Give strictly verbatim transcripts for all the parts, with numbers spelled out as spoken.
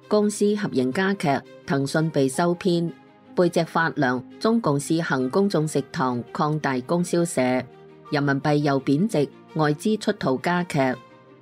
公私合營加劇，騰訊被收編。背脊發涼，中共試行公眾食堂擴大供銷社。人民幣又貶值，外資出逃加劇。援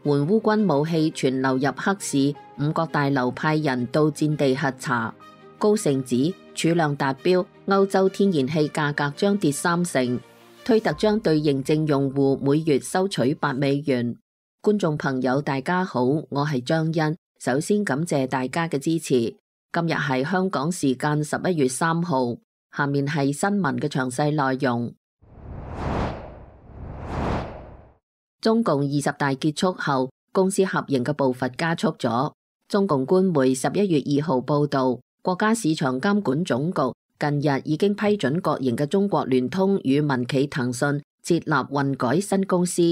烏軍武器全流入黑市，五角大樓派人到戰地核查。高盛指儲量達標，歐洲天然氣價格將跌三成。推特將對認證用戶每月收取八美元。觀眾朋友大家好，我係張欣，首先感謝大家嘅支持。今日係香港時間十一月三號，下面係新聞嘅詳細內容。中共二十大結束後，公私合營嘅步伐加速咗。中共官媒十一月二號報道，國家市場監管總局近日已經批准國營嘅中國聯通與民企騰訊設立混改新公司，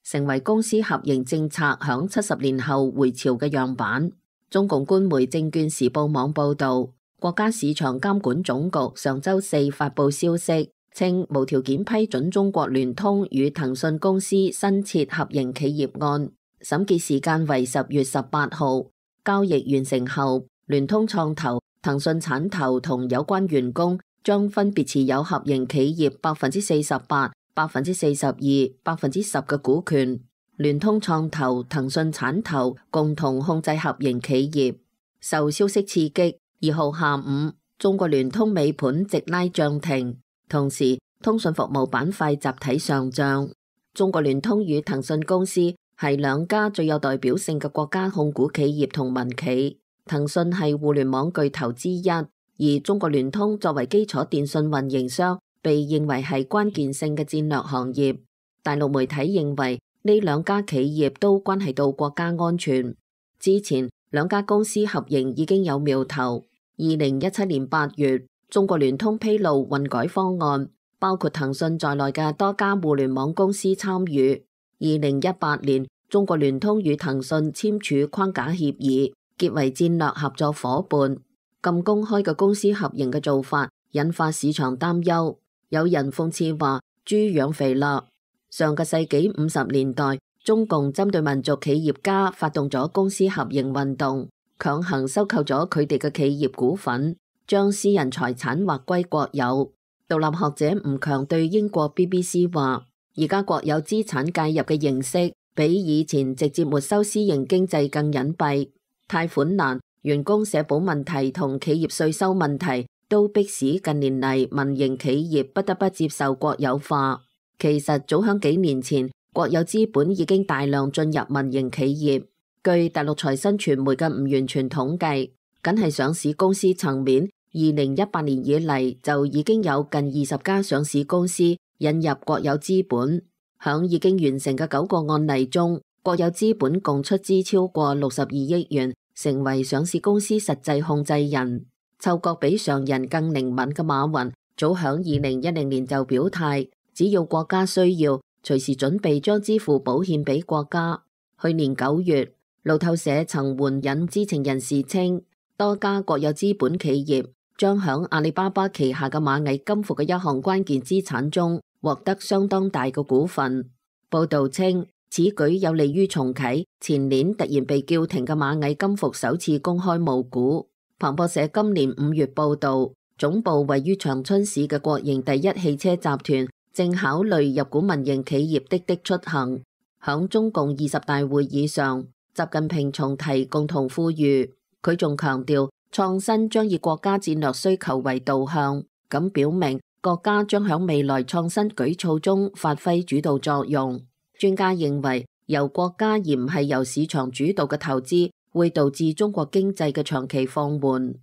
成為公私合營政策響七十年後回潮嘅樣板。中共官媒證券時報網報道，國家市場監管總局上周四發布消息，稱無條件批准中國聯通與騰訊公司新設合營企業案，審結時間為十月十八號。交易完成後，聯通創投、騰訊產投同有關員工將分別持有合營企業百分之四十八、百分之四十二、百分之十嘅股權。聯通創投、騰訊產投共同控制合營企業。受消息刺激，二號下午，中國聯通尾盤直拉漲停，同時通訊服務板塊集體上漲。中國聯通與騰訊公司係兩家最有代表性嘅國家控股企業同民企。騰訊係互聯網巨頭之一，而中國聯通作為基礎電信運營商，被認為係關鍵性嘅戰略行業。大陸媒體認為，呢兩家企業都關係到國家安全。之前兩家公司合營已經有苗頭。二零一七年八月，中國聯通披露混改方案，包括騰訊在內嘅多家互聯網公司參與。二零一八年，中國聯通與騰訊簽署框架協議，結為戰略合作夥伴。咁公開嘅公司合營嘅做法，引發市場擔憂。有人諷刺話：豬養肥啦。上個世紀五十年代，中共針對民族企業家發動咗公私合營運動，強行收購咗佢哋嘅企業股份，將私人財產劃歸國有。獨立學者吳強對英國 B B C 話：而家國有資產介入嘅形式，比以前直接沒收私營經濟更隱蔽。貸款難、員工社保問題同企業稅收問題，都迫使近年嚟民營企業不得不接受國有化。其實早響幾年前，國有資本已經大量進入民營企業。據大陸財新傳媒嘅唔完全統計，僅係上市公司層面，二零一八年以嚟就已經有近二十家上市公司引入國有資本。響已經完成嘅九個案例中，國有資本共出資超過六十二億元，成為上市公司實際控制人。嗅覺比常人更靈敏嘅馬雲，早響二零一零年就表態，只要國家需要，隨時準備將支付寶獻俾國家。去年九月，路透社曾援引知情人士稱，多家國有資本企業將響阿里巴巴旗下嘅螞蟻金服嘅一項關鍵資產中獲得相當大嘅股份。報道稱，此舉有利於重啟前年突然被叫停嘅螞蟻金服首次公開募股。彭博社今年五月報道，總部位於長春市嘅國營第一汽車集團正考慮入股民營企業滴滴出行。響中共二十大會議上，習近平重提共同富裕，佢仲強調創新將以國家戰略需求為導向，咁表明國家將響未來創新舉措中發揮主導作用。專家認為，由國家而唔係由市場主導嘅投資，會導致中國經濟嘅長期放緩。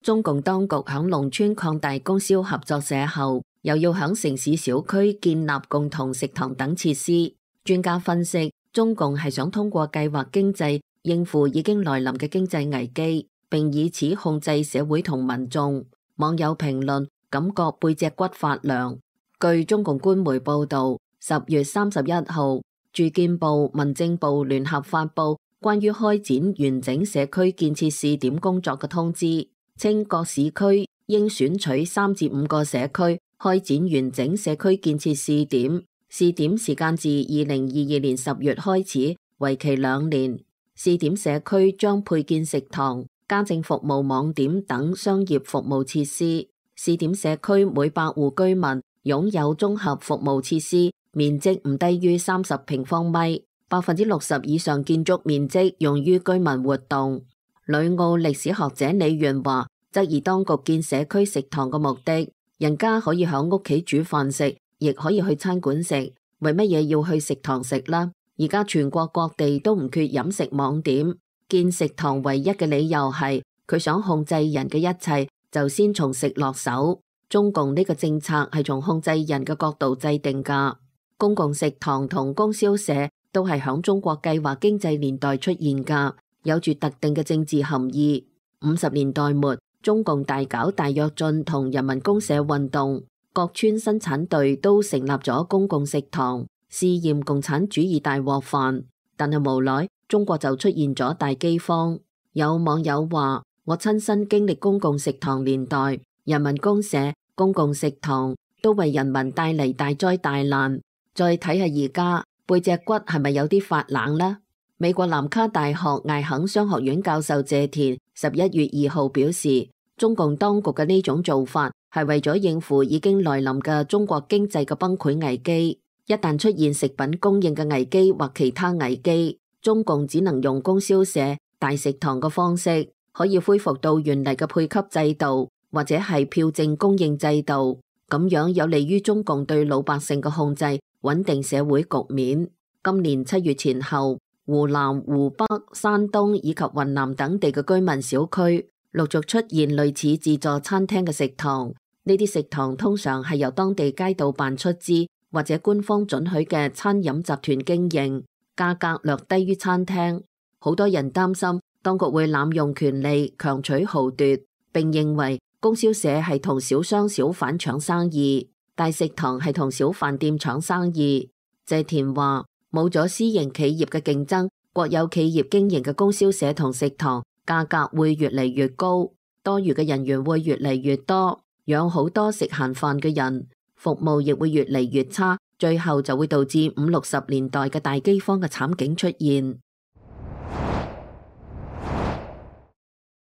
中共當局響農村擴大供銷合作社後，又要響城市小區建立共同食堂等設施。專家分析，中共係想通過計劃經濟應付已經來臨嘅經濟危機，並以此控制社會同民眾。網友評論感覺背脊骨發涼。據中共官媒報道，十月三十一號，住建部、民政部聯合發布關於開展完整社區建設試點工作嘅通知，稱各市區應選取三至五個社區開展完整社區建設試點，試點時間自二零二二年十月開始，為期兩年。試點社區將配建食堂、家政服務網點等商業服務設施。試點社區每百戶居民擁有綜合服務設施，面積唔低於三十平方米，百分之六十以上建築面積用於居民活動。旅澳歷史學者李元華質疑當局建社區食堂嘅目的，人家可以響屋企煮飯食，亦可以去餐館食，為乜嘢要去食堂食啦？而家全國各地都唔缺飲食網點，建食堂唯一嘅理由係佢想控制人嘅一切，就先從食落手。中共呢個政策係從控制人嘅角度制定噶。公共食堂同供銷社都係響中國計劃經濟年代出現噶，有住特定嘅政治含義。五十年代末，中共大搞大躍進同人民公社運動，各村生產隊都成立咗公共食堂，試驗共產主義大鍋飯。但係無奈中國就出現咗大饑荒。有網友話：我親身經歷公共食堂年代，人民公社、公共食堂都為人民帶嚟大災大難。再睇下而家背脊骨係咪有啲發冷呢？美國南卡大學艾肯商學院教授謝田十一月二號表示，中共當局嘅呢種做法係為咗應付已經來臨嘅中國經濟嘅崩潰危機。一旦出現食品供應嘅危機或其他危機，中共只能用供銷社、大食堂嘅方式，可以恢復到原嚟嘅配給制度，或者係票證供應制度，咁樣有利於中共對老百姓嘅控制，穩定社會局面。今年七月前後，湖南、湖北、山東以及雲南等地嘅居民小區陸續出現類似自助餐廳嘅食堂。呢啲食堂通常係由當地街道辦出資或者官方准許嘅餐飲集團經營，價格略低於餐廳。好多人擔心當局會濫用權力強取豪奪，並認為供銷社係同小商小販搶生意，大食堂係同小飯店搶生意。謝田話：冇咗私營企業嘅競爭，國有企業經營嘅供銷社同食堂價格會越嚟越高，多餘嘅人員會越嚟越多，養好多食閒飯嘅人，服務亦會越嚟越差，最後就會導致五六十年代嘅大饑荒嘅慘景出現。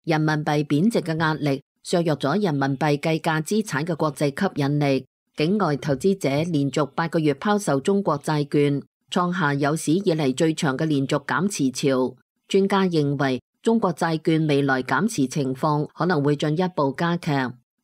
人民幣貶值嘅壓力削弱咗人民幣計價資產嘅國際吸引力，境外投資者連續八個月拋售中國債券，創下有史以嚟最長嘅連續減持潮。專家認為，中國債券未來減持情況可能會進一步加劇。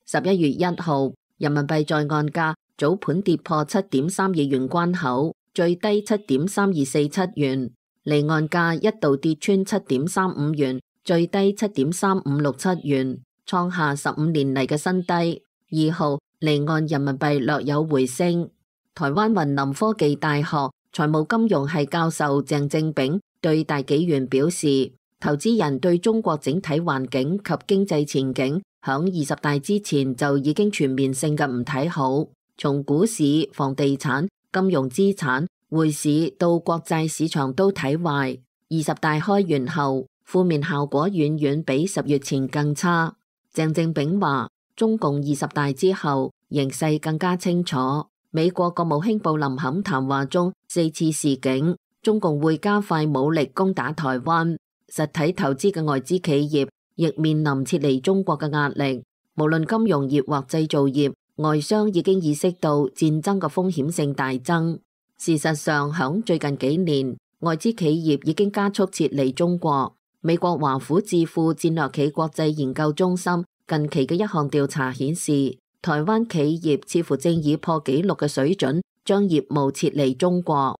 十一月一號，人民幣在岸價早盤跌破七點三二元關口，最低七點三二四七元，離岸價一度跌穿七點三五元，最低七點三五六七元，創下十五年嚟嘅新低。二號，離岸人民幣略有回升。台灣雲林科技大學財務金融系教授鄭正炳對大紀元表示，投資人對中國整體環境及經濟前景響二十大之前就已經全面性嘅唔睇好，從股市、房地產、金融資產、匯市到國債市場都睇壞。二十大開完後，負面效果遠遠比十月前更差。鄭正炳話，中共二十大之後形勢更加清楚。美國國務卿布林肯談話中四次示警，中共會加快武力攻打台灣。實體投資嘅外資企業亦面臨撤離中國嘅壓力。無論金融業或製造業，外商已經意識到戰爭嘅風險性大增。事實上，響最近幾年，外資企業已經加速撤離中國。美國華府智庫戰略企國際研究中心近期嘅一項調查顯示，台灣企業似乎正以破紀錄嘅水準將業務撤離中國。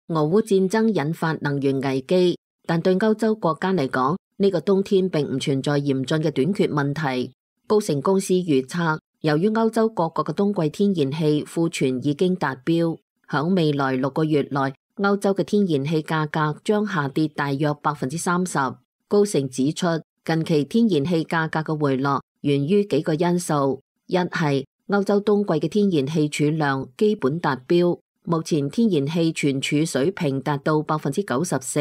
俄烏戰爭引發能源危機，但對歐洲國家嚟講，呢個冬天並唔存在嚴峻嘅短缺問題。高盛公司預測，由於歐洲各國嘅冬季天然氣庫存已經達標，響未來六個月內，歐洲嘅天然氣價格將下跌大約百分之三十。高盛指出，近期天然氣價格嘅回落源於幾個因素，一係歐洲冬季嘅天然氣儲量基本達標，目前天然氣存儲水平達到百分之九十四；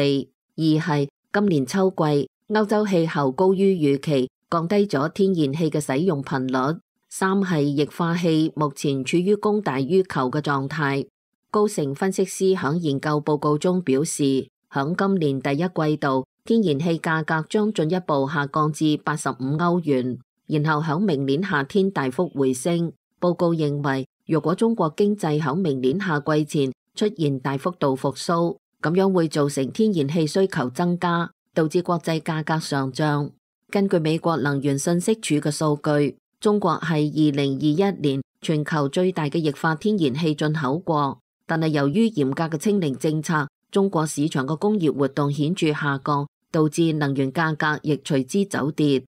二係今年秋季歐洲氣候高於預期，降低咗天然氣嘅使用頻率；三係液化氣目前處於供大於求嘅狀態。高盛分析師響研究報告中表示，響今年第一季度，天然氣價格將進一步下降至八十五歐元，然後響明年夏天大幅回升。報告認為，如果中國經濟響明年夏季前出現大幅度復甦，咁樣會造成天然氣需求增加，導致國際價格上漲。根據美國能源信息署嘅數據，中國係二零二一年全球最大嘅液化天然氣進口國，但係由於嚴格嘅清零政策，中國市場嘅工業活動顯著下降，導致能源價格亦隨之走跌。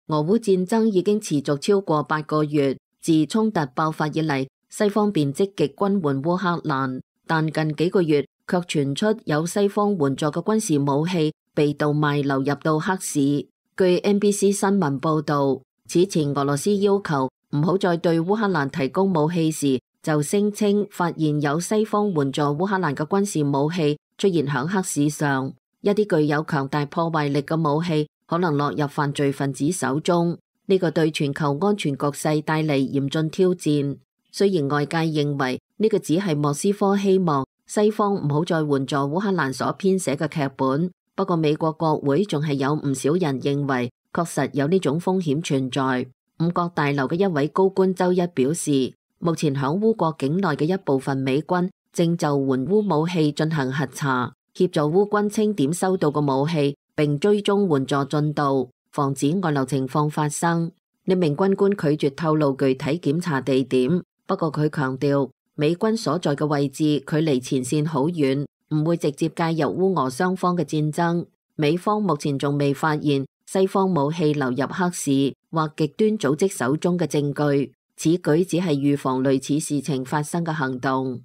俄烏戰爭已經持續超過八個月，自衝突爆發以嚟，西方便積極軍援烏克蘭，但近幾個月卻傳出有西方援助嘅軍事武器被盜賣流入到黑市。據 N B C 新聞報道，此前俄羅斯要求唔好再對烏克蘭提供武器時，就聲稱發現有西方援助烏克蘭嘅軍事武器出現響黑市上，一啲具有強大破壞力嘅武器可能落入犯罪分子手中，呢個對全球安全局勢帶嚟嚴峻挑戰。雖然外界認為呢個只係莫斯科希望西方唔好再援助烏克蘭所編寫嘅劇本，不過美國國會仲係有唔少人認為確實有呢種風險存在。五角大樓嘅一位高官周一表示，目前響烏國境內嘅一部分美軍正就援烏武器進行核查，協助烏軍清點收到嘅武器，並追蹤援助進度，防止外流情況發生。呢名軍官拒絕透露具體檢查地點，不過佢強調美軍所在嘅位置距離前線好遠，唔會直接介入烏俄雙方嘅戰爭。美方目前仲未發現西方武器流入黑市或極端組織手中嘅證據，此舉只係預防類似事情發生嘅行動。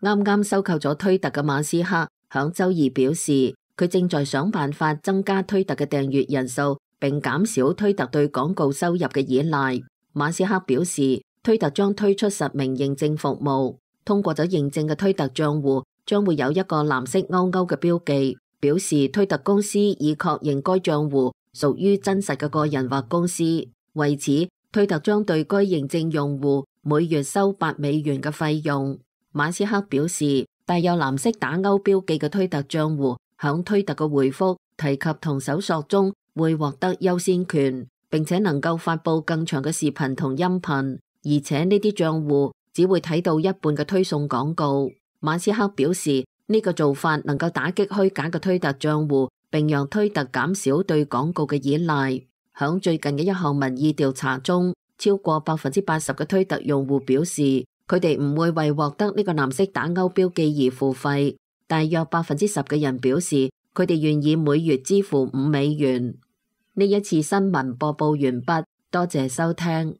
啱啱收購咗推特嘅馬斯克響周二表示，佢正在想辦法增加推特嘅訂閱人數，並減少推特對廣告收入嘅依賴。馬斯克表示，推特將推出實名認證服務，通過咗認證嘅推特賬戶將會有一個藍色勾勾嘅標記，表示推特公司已確認該賬戶屬於真實嘅個人或公司。為此，推特將對該認證用戶每月收八美元嘅費用。馬斯克表示，帶有藍色打勾標記嘅推特賬戶響推特嘅回覆提及同搜索中會獲得優先權，並且能夠發佈更長嘅視頻同音頻，而且呢啲賬戶只會睇到一半嘅推送廣告。馬斯克表示，呢個做法能夠打擊虛假嘅推特賬戶，並讓推特減少對廣告嘅依賴。響最近嘅一項民意調查中，超過百分之八十嘅推特用戶表示，佢哋唔會為獲得呢個藍色打勾標記而付費。大約百分之十嘅人表示，佢哋願意每月支付五美元。呢一次新聞播報完畢，多謝收聽。